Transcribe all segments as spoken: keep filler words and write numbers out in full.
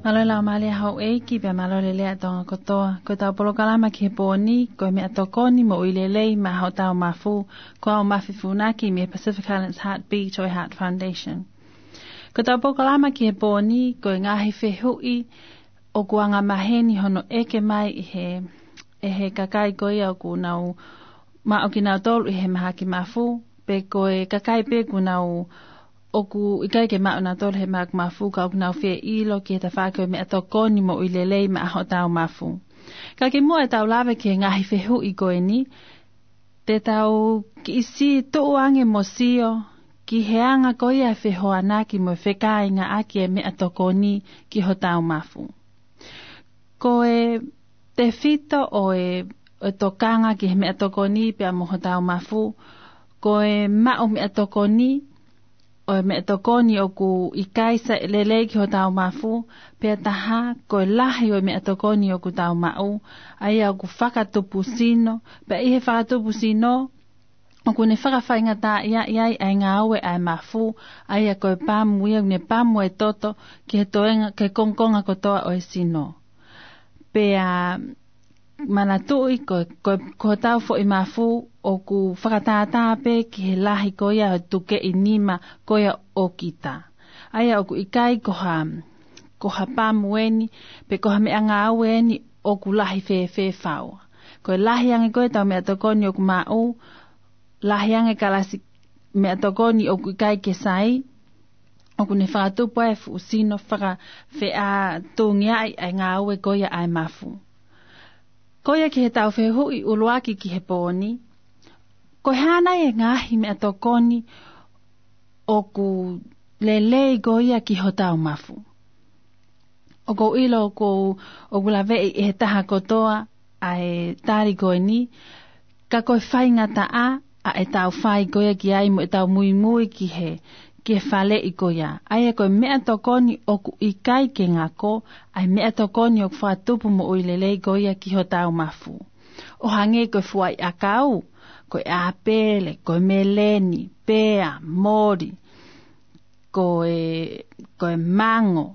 Mālō e laumālie ʻa houʻeiki pea mālō e lelei ʻa Tonga kotoa. Ko ʻetau polokalama ki he pō ni, ko e meʻatokoni moʻui lelei maʻa hotau mafu, ko au Mafi Funaki mei he Pacific Islands Heart Beat ʻo e Heart Foundation. Ko ʻetau polokalama ki he pō ni, ko e ngaahi fehuʻi ʻoku angamaheni hono ʻeke mai ʻe he, ʻe he kakai ko ia ʻoku nau maʻu kinautolu ʻi he mahaki mafu, pe ko e kakai pē ʻoku nau ʻoku ʻikai ke maʻu nautolu he mahaki mafu, ka ʻoku nau fie ʻilo ki he tafaʻaki ʻo e meʻatokoni moʻui lelei maʻa hotau mafu. Ka kimuʻa ʻetau lave ki he ngaahi fehuʻi ko eni, te tau kiʻi siʻi tuʻu ange mo sio ki he anga ko ia e fehoanaki mo e fekāingaʻaki e meʻatokoni ki hotau mafu. Ko e tefito ʻo e, ʻo e tokanga ki he meʻatokoni pea mo hotau mafu, ko e maʻu meʻatokoni, ʻo e meʻatokoni ʻoku ʻikai sai lelei ki hotau mafu, pea taha, ko e lahi ʻo e meʻatokoni ʻoku tau maʻu, ʻa ia ʻoku fakatupu sino, pea ʻi he fakatupu sino, ʻoku ne fakafaingataʻaʻia ai ʻa e ngāue ʻa e mafu, ʻa ia ko e pamu ia ʻoku ne pamu e toto ki he toenga, ki he kongokonga kotoa ʻo e sino. Pea manatuʻi ko, ko, ko hotau foʻi mafu ʻoku fakatātā pē ki he lahi ko ia ʻo e tukeʻi nima ko ia ʻo kita. ʻA ia ʻoku ʻikai ko ha, ko ha pamu eni, pe ko ha meʻangāue eni ʻoku lahi fēfē fau. Ko e lahi ange ko ē ʻetau meʻatokoni ʻoku maʻu, lahi ange kalasi meʻatokoni ʻoku ʻikai ke sai, ʻoku ne fakatupu ai e fuʻu sino fakafeʻātungiaʻi ʻa e ngāue ko ia ʻa e mafu. Ko ia ki heʻetau fehuʻi ʻuluaki ki he pō ni, ko e hā nai e ngaahi meʻatokoni ʻoku lelei ko ia ki hotau mafu? ʻOku ou ʻilo ʻoku, ʻoku laveʻi ʻe he taha kotoa ʻa e tali ko eni, ka ko e faingataʻa ʻa ʻetau fai ko ia ki ai mo ʻetau muimui ki he, ki he faleʻi ko ia. ʻA ia ko e meʻatokoni ʻoku ʻikai ke ngako, ʻa e meʻatokoni ʻoku fakatupu moʻui lelei ko ia ki hotau mafu. ʻO hangē ko e fuaʻi ʻakau, ko e ʻāpele, ko e meleni, pea, moli, ko e, ko e mango,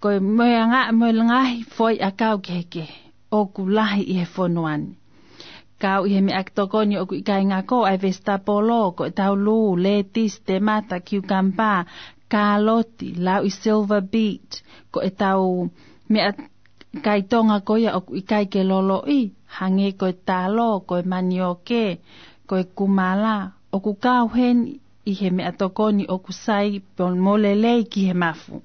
ko e mo e anga-, mo e ngaahi fuaʻi ʻakau kehekehe ʻoku lahi ʻi he fonua ni. Kau ʻi he meʻatokoni ʻoku ʻikai ngako ʻa e vesitapolo, ko ʻetau lū, letisi, temata, kiukamba, kāloti, lauʻi silver beet, ko ʻetau meʻakai Tonga ko ia ʻoku ʻikai ke loloʻi, hangē ko e talo, ko e manioke, ko e kumala, ʻoku kau heni ʻi he meʻatokoni ʻoku sai pea mo lelei ki he mafu.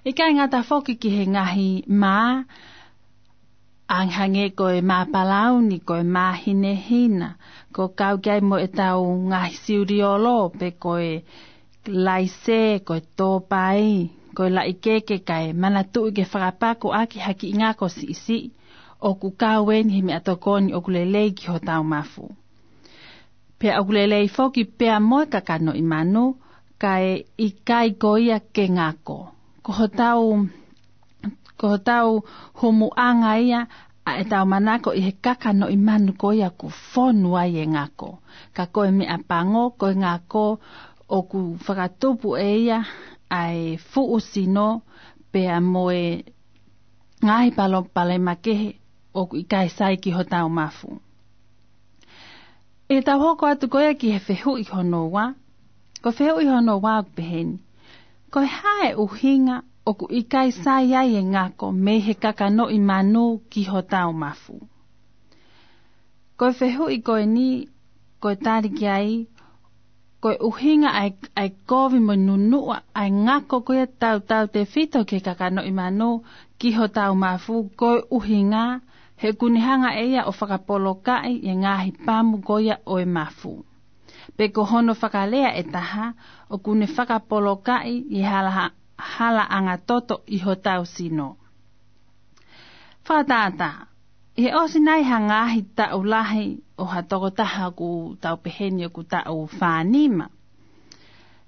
ʻIkai ngata foki ki he ngaahi mā, ʻa hangē ko e mā palauni, ko e mā hinehina, ʻoku kau ki ai mo ʻetau ngaahi siuliolo, pe ko e laise, ko e tōpai, ko e laʻikeke, kae manatuʻi ke fakapako ʻaki ha kiʻi ngako siʻisiʻi, ʻoku kau eni he meʻatokoni ʻoku lelei ki hotau mafu. Pea ʻoku lelei foki pea mo e kakanoʻi manu, kae ʻikai ko ia ke ngako. Ko hotau, ko hotau humuʻanga ia ʻa ʻetau manako ʻi he kakanoʻi manu ko ia ʻoku fonu ai e ngako. Ka ko e meʻapango, ko e ngako ʻoku fakatupu ʻe ia ʻa e fuʻu sino pea mo e ngaahi palopalema kehe ʻoku ʻikai sai ki hotau mafu. ʻE tau hoko atu ko ia ki he fehuʻi hono ua, ko e fehuʻi hono ua ʻoku peheni. Ko e hā e ʻuhinga ʻoku ʻikai sai ai e ngako mei he kakanoʻi manu ki hotau mafu? Ko e fehuʻi ko eni, ko e tali ki ai, ko e ʻuhinga ʻa e, ʻa e kovi mo e nunuʻa ʻa e ngako ko ia tautautefito ki he kakanoʻi manu ki hotau mafu, ko e ʻuhinga he ʻoku ne hanga ʻe ia ʻo fakapolokaʻi e ngaahi pamu ko ia ʻo e mafu. Pe ko hono fakalea ʻe taha, ʻoku ne fakapolokaʻi e hala, halaʻanga toto ʻi hotau sino. Fakatātā, ʻi he ʻosi nai ha ngaahi taʻu lahi ʻo ha tokotaha ʻoku tau peheni ʻoku taʻu fānima.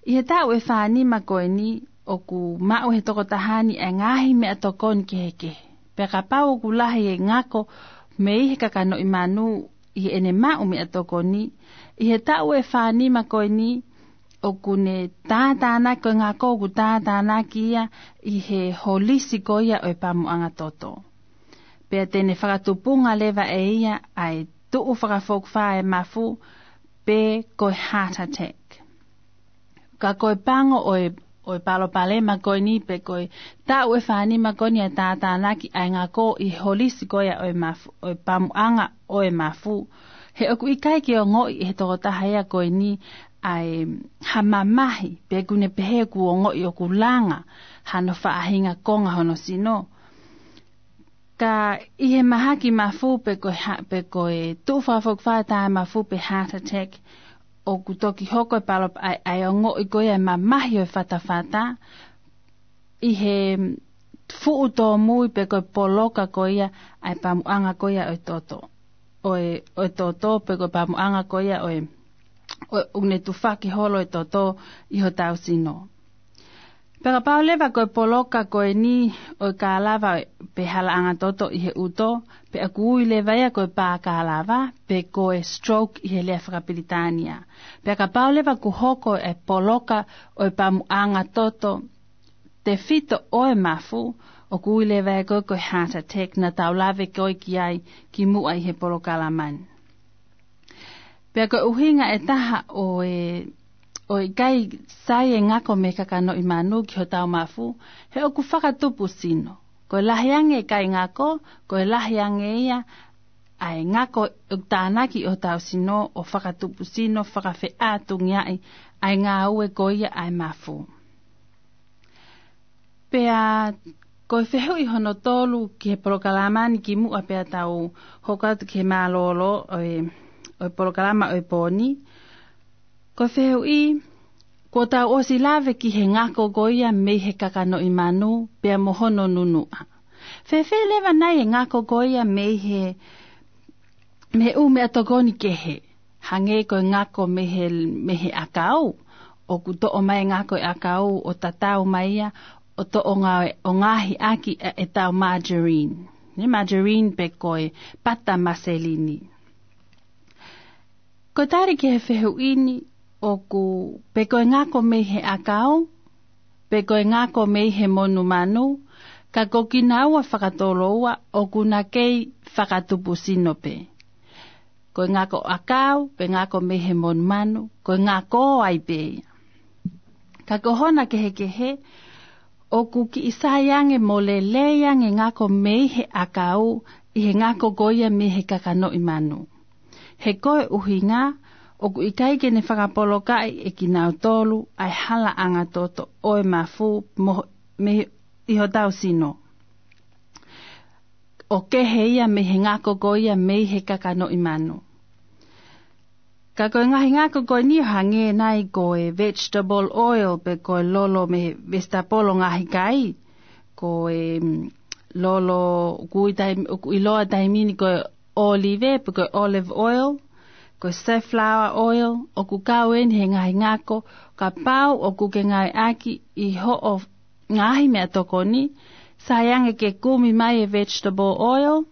ʻI he taʻu ʻe fānima ko eni ʻoku maʻu he tokotaha ni e ngaahi meʻatokoni kehekehe. Pea kapau ʻoku lahi e ngako mei he kakanoʻi manu ʻi heʻene maʻu meʻatokoni, ʻi he taʻu ʻe fānima ko eni ʻoku ne tātānaki, ko e ngako ʻoku tātānaki ia ʻi he holisi ko ia ʻo e pamuʻanga toto. Pea te ne fakatupunga leva ʻe ia ʻa e tuʻu fakafokifā e mafu pe ko e heart attack. Ka ko e pango ʻo e, ʻo e palopalema ko eni pe ko e taʻu ʻe fānima ko eni ʻa e tātānaki ʻa e ngako ʻi he holisi ko ia ʻo e mafu, ʻo e pamuʻanga ʻo e mafu. He ʻoku ʻikai ke ongoʻi ʻe he tokotaha ia ko eni ʻa e ha mamahi, pe ʻoku ne pehē ʻoku ongoʻi ʻoku langa hano faʻahinga konga hono sino. Ka ʻi he mahaki mafu pe ko e ha-, pe ko e tuʻu fakafokifā e taʻe mafu pe heart attack, ʻoku toki hoko e palo-, ʻa e, ʻa e ongoʻi ko ia e mamahi ʻo e fatafata, ʻi he fuʻu tōmui pe ko e poloka ko ia ʻa e pamuʻanga ko ia ʻo e toto. ʻO e, ʻo e toto pe ko e pamuʻanga ko ia ʻo e, ʻo e, ʻoku ne tufaki holo e toto ʻi hotau sino. Pea kapau leva ko e poloka ko eni ʻo e kālava pe halaʻanga toto ʻi he ʻuto, pea ʻoku ui leva ia ko e pākālava, pe ko e stroke ʻi he lea fakapilitānia. Pea kapau leva kuo hoko e poloka ʻo e pamuʻanga toto tefito ʻo e mafu, ʻoku ui leva ia ko e, ko e heart attack naʻa tau lave ko ē ki ai kimuʻa ʻi he polokalama ni. Pea ko e ʻuhinga ʻe taha ʻo e, ʻo e ʻikai sai e ngako mei he kakanoʻi manu ki hotau mafu, he ʻoku fakatupu sino. Ko e lahi ange e ʻikai ngako, ko e lahi ange ia ʻa e ngako ʻoku tānaki ʻi hotau sino ʻo fakatupu sino, fakafeʻātungiaʻi ʻa e ngāue ko ia ʻa e mafu. Pea ko e fehuʻi hono tolu ki he polokalama ni kimuʻa pea tau hoko atu ki he mālōlō ʻo e, ʻo e polokalama ʻo e pō ni. Ko e fehuʻi, kuo tau ʻosi lave ki he ngako ko ia mei he kakanoʻi manu pea mo hono nunuʻa. Fēfē leva nai e ngako ko ia mei he, mei he ʻū meʻatokoni kehe? Hangē ko e ngako mei he, mei he ʻakau, ʻoku toʻo mai e ngako e ʻakau ʻo tatau mai ia, ʻo toʻo ngā-, ʻo ngaohi ʻaki ʻa e, ʻetau margarine. Ne margarine pe ko e pata maselini. Ko e tali ki he fehuʻi ni, ʻoku pe ko e ngako mei he ʻakau, pe ko e ngako mei he monumanu, ka ko kinaua fakatoloua ʻoku na kei fakatupu sino pē. Ko e ngako ʻakau, pe ngako mei he monumanu, ko e ngako ai pē ia. Ka ko hona kehekehe, ʻoku kiʻi sai ange mo lelei ange ngako mei he ʻakau ʻi he ngako ko ia mei he kakanoʻi manu. He ko e ʻuhinga, ʻoku ʻikai ke ne fakapolokaʻi ʻe kinautolu ʻa e halaʻanga toto ʻo e mafu mo, mei, ʻi hotau sino. ʻO kehe ia mei he ngako ko ia mei he kakanoʻi manu. Ka ko e ngaahi ngako ko eni ʻo hangē nai ko e vegetable oil pe ko e lolo mei he vesitapolo ngaahi kai. Ko e, mm, lolo ʻoku ʻi tai-, ʻoku ʻiloa taimi ni ko e ʻōlive pe ko e olive oil, ko e safflower oil, ʻoku kau eni he ngaahi ngako, kapau ʻoku ke ngāueʻaki ʻi hoʻo ngaahi meʻatokoni, sai ange ke kumi mai e vegetable oil,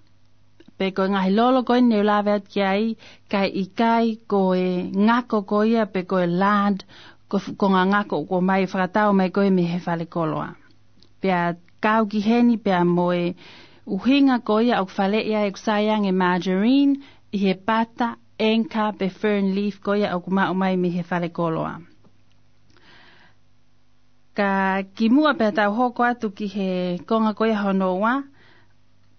pe ko e ngaahi lolo ko eni ne u lave atu ki ai, kae ʻikai ko e ngako ko ia pe ko e lard, ko e fu-, konga ngako ʻoku ʻomai fakatau mai ko ē mei he falekoloa. Pea kau ki heni pea mo e ʻuhinga ko ia ʻoku faleʻi ai ʻoku sai ange margarine ʻi he pata, enka pe fern leaf ko ia ʻoku maʻu mai mei he falekoloa. Ka kimuʻa pea tau hoko atu ki he konga ko ia hono ua,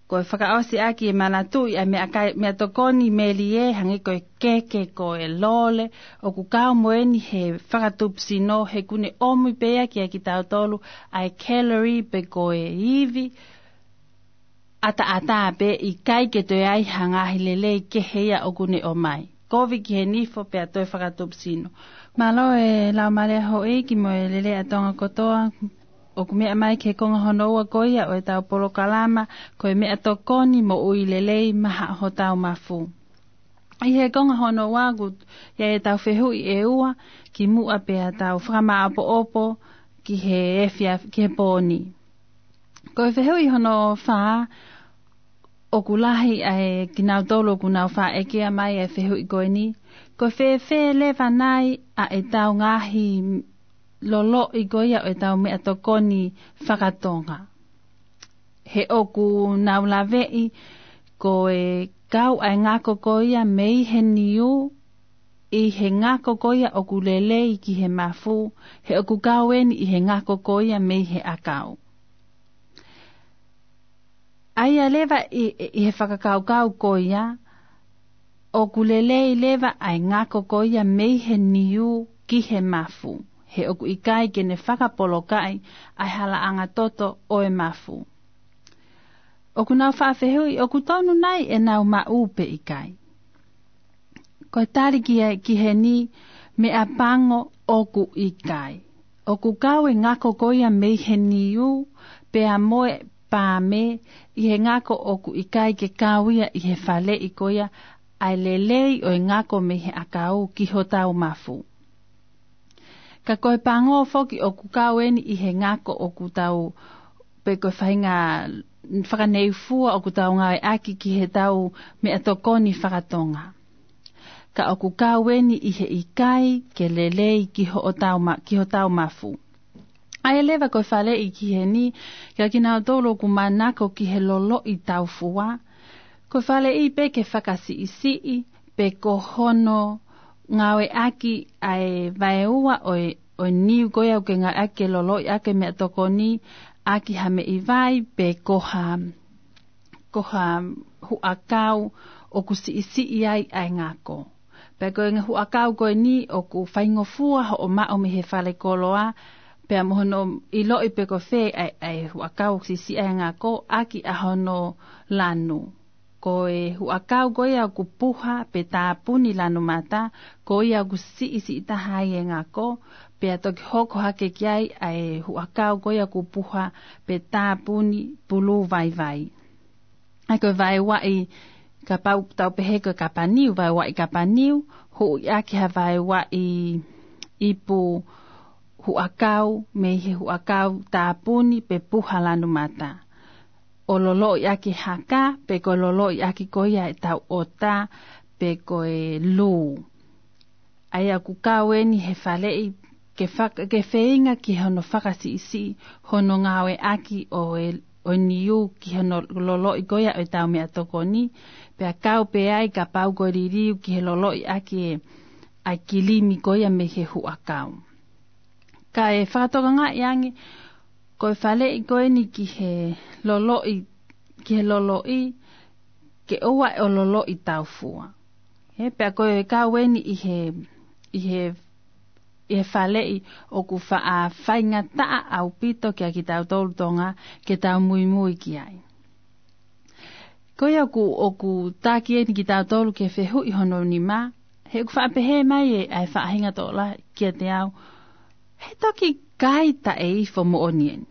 ko e fakaʻosi ʻaki e manatuʻi ʻa e meʻakai-, meʻatokoni melie, hangē ko e keke, ko e lole, ʻoku kau mo eni he fakatupu sino, he ʻoku ne ʻomi pē ia kiate kitautolu ʻa e calorie pe ko e ivi ʻataʻatā pē, ʻikai ke toe ai ha ngaahi lelei kehe ia ʻoku ne ʻomai. Kovi ki he nifo pea toe fakatupu sino. Mālō e Laumālie Houʻeiki mo e lelei ʻa Tonga kotoa, ʻoku meʻa mai ki he konga hono ua ko ia ʻo ʻetau polokalama, ko e meʻatokoni moʻui lelei maʻa hotau mafu. ʻI he konga hono ua ʻoku ʻi ai ʻetau fehuʻi ʻe ua, kimuʻa pea tau fakamāʻopoʻopo ki he efiafi, ki he pō ni. Ko e fehuʻi hono fā, ʻOku lahi ʻa e kinautolu ʻoku nau faʻa ʻekea mai ʻa e fehuʻi ko eni: Ko e fēfē leva nai ʻa ʻetau ngaahi loloʻi ko ia ʻo ʻetau meʻatokoni fakatonga? He ʻoku nau laveʻi ko e kau ʻa e ngako ko ia mei he niu ʻi he ngako ko ia ʻoku lelei ki he mafu, he ʻoku kau eni ʻi he ngako ko ia mei he ʻakau. ʻA ia leva ʻi, ʻi he fakakaukau ko ia, ʻoku lelei leva ʻa e ngako ko ia mei he niu ki he mafu, he ʻoku ʻikai ke ne fakapolokaʻi ʻa e halaʻanga toto ʻo e mafu. ʻOku nau faʻa fehuʻi ʻoku tonu nai ʻenau maʻu pe ʻikai. Ko e tali ki, ki heni, meʻapango ʻoku ʻikai. ʻOku kau e ngako ko ia mei he niu pea mo e paame ʻi he ngako ʻoku ʻikai ke kau ia ʻi he faleʻi ko ia ʻa e lelei ʻo e ngako mei he ʻakau ki hotau mafu. Ka ko e pango foki ʻoku kau eni ʻi he ngako ʻoku tau, pe ko e faʻahinga fakaneufua ʻoku tau ngāueʻaki ki heʻetau meʻatokoni fakatonga. Ka ʻoku kau eni ʻi he ʻikai ke lelei ki hotau ma-, ki hotau mafu. ʻA ia leva ko e faleʻi ki heni, kia kinautolu ʻoku manako ki he loloʻi taufua, ko e faleʻi pē ke fakasiʻisiʻi, pe ko hono ngāueʻaki ʻa e vaeua ʻo e, ʻo e niu ko ia ʻoku ke ngāueʻaki ke loloʻi ʻaki e meʻatokoni ʻaki ha meʻi vai, pe ko ha, ko ha huʻakau ʻoku siʻisiʻi ai ʻa e ngako. Pea ko e huʻakau ko eni ʻoku faingofua hoʻo maʻu mei he falekoloa, pea mo hono ʻiloʻi pe ko fē ʻa e, ʻa e huʻakau ʻoku siʻisiʻi ai e ngako ʻaki ʻa hono lanu. Ko e huʻakau ko ia ʻoku puha pe tāpuni lanu mata, ko ia ʻoku siʻisiʻi taha ai e ngako, pea toki hoko hake ki ai ʻa e huʻakau ko ia ʻoku puha pe tāpuni pulū vaivai. ʻA ia ko e vaeuaʻi, kapau tau pehē ko e kapaniu, vaeuaʻi kapaniu, huʻi ʻaki ha vaeuaʻi ipu huʻakau mei he huʻakau tāpuni pe puha lanu mata, ʻo loloʻi ʻaki haka, pe ko e loloʻi ʻaki ko ia ʻetau ʻota, pe ko e lū. ʻA ia ʻoku kau eni he faleʻi ke faka-, ke feinga ki hono fakasiʻisiʻi hono ngāueʻaki ʻo e, ʻo e niu ki hono loloʻi ko ia ʻo ʻetau meʻatokoni, pea kau pē ai kapau ko e liliu ki he loloʻi ʻaki e, ʻa e kilimi ko ia mei he huʻakau. Ka ʻe fakatokangaʻi ange, ko e faleʻi ko eni ki he loloʻi, ki he loloʻi, ke ʻoua ʻe loloʻi taufua. He pea ko e kau eni ʻi he, ʻi he, ʻi he faleʻi ʻoku faʻa faingataʻa ʻaupito kia kitautolu Tonga ke tau muimui ki ai. Ko ia ʻoku, ʻoku taki eni kitautolu ke fehuʻi hono nima, he ʻoku faʻa pehē mai ʻe, ʻa e faʻahinga tokolahi kiate au, he toki kai taʻe ifo moʻoni eni.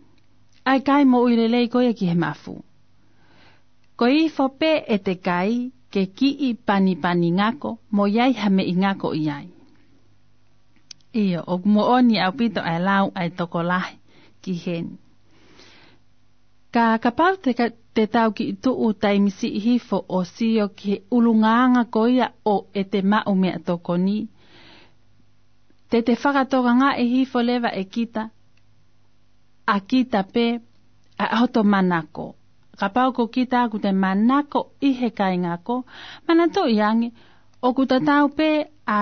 ʻA e kai moʻui lelei ko ia ki he mafu. Ko e ifo pē ʻete kai ke kiʻi panipani ngako, mo ʻi ai ha meʻi ngako ʻi ai. ʻIo, ʻoku moʻoni ʻaupito ʻa e lau ʻa e tokolahi ki heni. Ka kapau te ka-, te tau kiʻi tuʻu taimi siʻi hifo ʻo sio ki he ʻulungaanga ko ia ʻo ʻete maʻu meʻatokoni, te te fakatokangaʻi hifo leva ʻe kita, ʻa kita pē, ʻa, ʻa hoto manako. Kapau ko kita ʻoku te manako ʻi he kai ngako, manatuʻi ange, ʻoku tatau pē ʻa,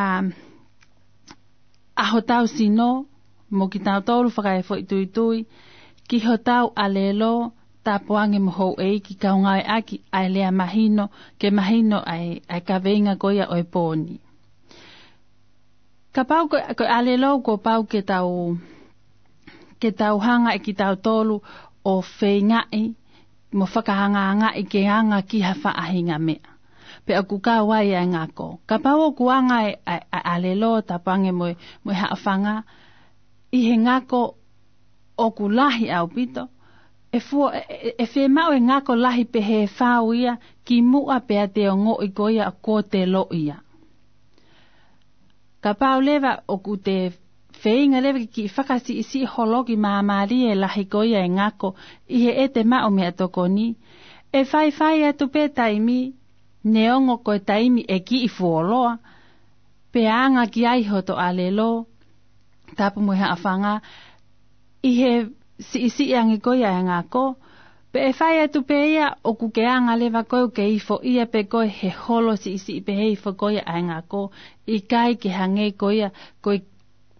ʻa hotau sino, mo kitautolu fakaefoʻituitui, ki hotau ʻalelo, tāpuange mo houʻeiki, kau ngāueʻaki ʻa e lea mahino, ke mahino ʻa e, ʻa e kaveinga ko ia ʻo e pō ni. Kapau ko, ko e ʻalelo kuo pau ke tau, ke tau hanga ʻe kitautolu ʻo feingaʻi, mo fakaangaangaʻi ke anga ki ha faʻahinga meʻa. Pea ʻoku kau ai ʻa e ngako. Kapau ʻoku anga e, ʻa e, ʻa e ʻalelo, tāpuange mo e, mo e haʻofanga, ʻi he ngako ʻoku lahi ʻaupito, ʻe fua, ʻe, ʻe, ʻe fiemaʻu e ngako lahi pehē fau ia, kimuʻa pea te ongoʻi ko ia kuo te loʻia. Kapau leva ʻoku te feinga leva ke kiʻi fakasiʻisiʻi holoki māmālie lahi ko ia e ngako ʻi heʻete maʻu meʻatokoni, ʻE faifai atu pē taimi, neongo ko e taimi ʻe kiʻi fuoloa, pea anga ki ai hoto ʻalelo, tapu mo e haʻofanga, ʻi he siʻisiʻi ange ko ia ʻa e ngako, pea ʻe fai atu pē ia ʻoku ke anga leva koe ʻoku ke ifo ia pē koe he holo siʻisiʻi pē he ifo ko ia ʻa e ngako, ʻikai ke hangē ko ia ko e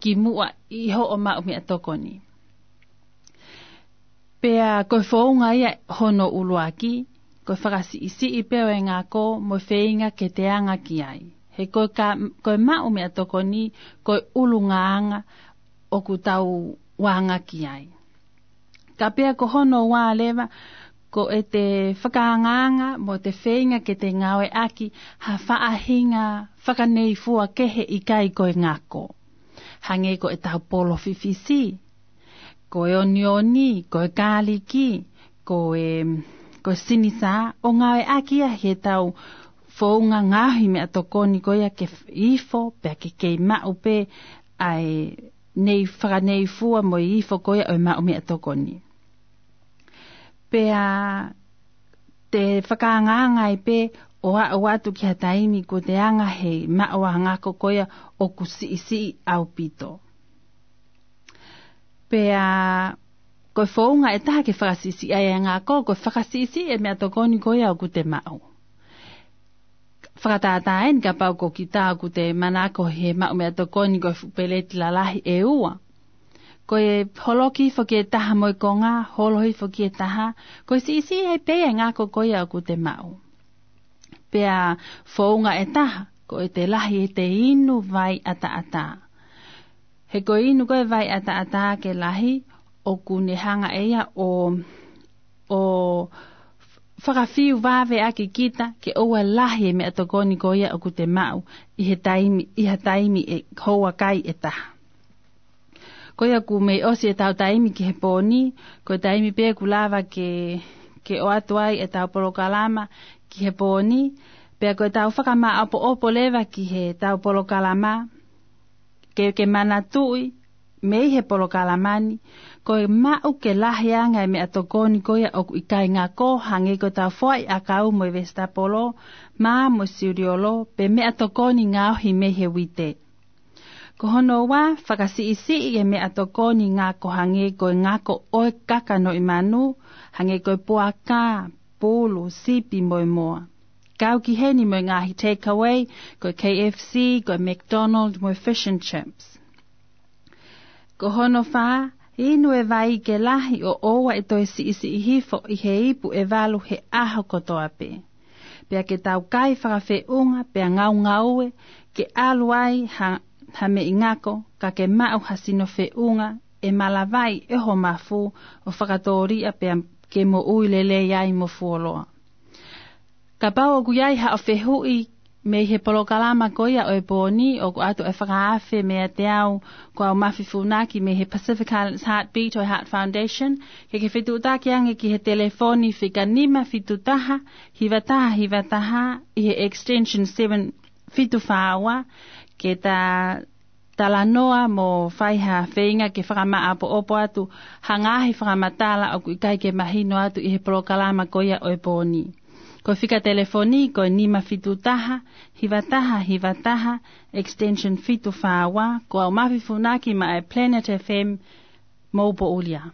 kimuʻa ʻi hoʻo maʻu meʻatokoni. Pea ko e founga ia hono ʻuluaki, ko e fakasiʻisiʻi pē ʻo e ngako mo e feinga ke te anga ki ai. He ko e ka, ko e maʻu meʻatokoni, ko e ʻulungaanga ʻoku tau anga ki ai. Ka pea ko hono ua leva, ko ʻete fakaangaanga mo ʻete feinga ke te ngāueʻaki ha faʻahinga fakaneifua kehe ʻikai ko e ngako. Hangē ko ʻetau polo fifisi, ko e onioni, ko e kāliki, ko e, ko e sinisā, ʻo ngāueʻaki ia heʻetau founga ngaohi meʻatokoni ko ia ke f-, ifo, pea ke kei maʻu pē ʻa e nei fakaneifua mo e ifo ko ia ʻo e maʻu meʻatokoni. Pea te fakaangaanga ai pē ʻo aʻu atu ki ha taimi kuo te anga he maʻu ʻa e ngako ko ia ʻoku siʻisiʻi ʻaupito. Pea ko e founga ʻe taha ke fakasiʻisiʻi ai ʻa e ngako, ko e fakasiʻisiʻi e meʻatokoni ko ia ʻoku te maʻu. Fakatātā eni kapau ko kita ʻoku te manako he maʻu meʻatokoni ko e fuʻu peleti lalahi ʻe ua. Ko e holoki hifo ki he taha mo e konga, holo hifo ki he taha, ko e siʻisiʻi ai pē ʻa e ngako ko ia ʻoku te maʻu. Pea founga ʻe taha, ko ʻete lahi ʻete inu vai ʻataʻatā. He ko e inu ko e vai ʻataʻatā ke lahi, ʻoku ne hanga ʻe ia ʻo, ʻo fakafiu vave ʻaki kita ke ʻoua lahi e meʻatokoni ko ia ʻoku te maʻu ʻi he taimi, ʻi ha taimi ʻe houa kai ʻe taha. Ko ia ʻoku mei ʻosi ʻetau taimi ki he pōni, ko e taimi pē ʻoku lava ke, ke ʻoatu ai ʻetau polokalama ki he pōni, pea ko ʻetau fakamāʻopoʻopo leva ki heʻetau polokalama, ke, ke manatuʻi, mei he polokalama ni, ko e maʻu ke lahi ange e meʻatokoni ko ia ʻoku ʻikai ngako hangē ko ʻetau foʻi ʻakau mo e vesitapolo, mā mo e siuliolo, pe meʻatokoni ngaohi mei he uite. Ko hono ua, fakasiʻisiʻi e meʻatokoni ngako hangē ko e ngako ʻo e kakanoʻi manu, hangē ko e puaka, pulu, sipi mo e moa. Kau ki heni mo e ngaahi takeaway, ko e K F C, ko e McDonald mo e fish and chips. Ko hono fā, inu e vai ke lahi ʻo ʻoua ʻe toe siʻisiʻi hifo ʻi he ipu ʻe valu he ʻaho kotoa pē. Pea ke tau kai fakafeʻunga, pea ngaungaue, ke ʻalu ai ha, ha meʻi ngako, ka ke maʻu ha sino feʻunga, ʻe malavai ʻe ho mafu, ʻo fakatōliʻa pea ke moʻui lelei ai mo fuoloa. Kapau ʻoku ʻi ai haʻo fehuʻi mei he polokalama ko ia ʻo e pōni, ʻoku ʻoatu e fakaafe meiate au, ko au Mafi Funaki mei he Pacific Islands Heartbeat ʻo e Heart Foundation, ke ke fetuʻutaki ange ki he telefoni fika nima fitu taha, hiva taha hiva taha, ʻi he extension seven fitu fā ua, ke ta talanoa mo fai ha feinga ke fakamāʻopoʻopo atu ha ngaahi fakamatala ʻoku ʻikai ke mahino atu ʻi he polokalama ko ia ʻo e pōni. Ko e fika telefoni ko e nima fitu taha, hiva taha hiva taha, extension fitu fā ua, ko au Mafi Funaki maʻa e Planet F M, mou poʻuli ā.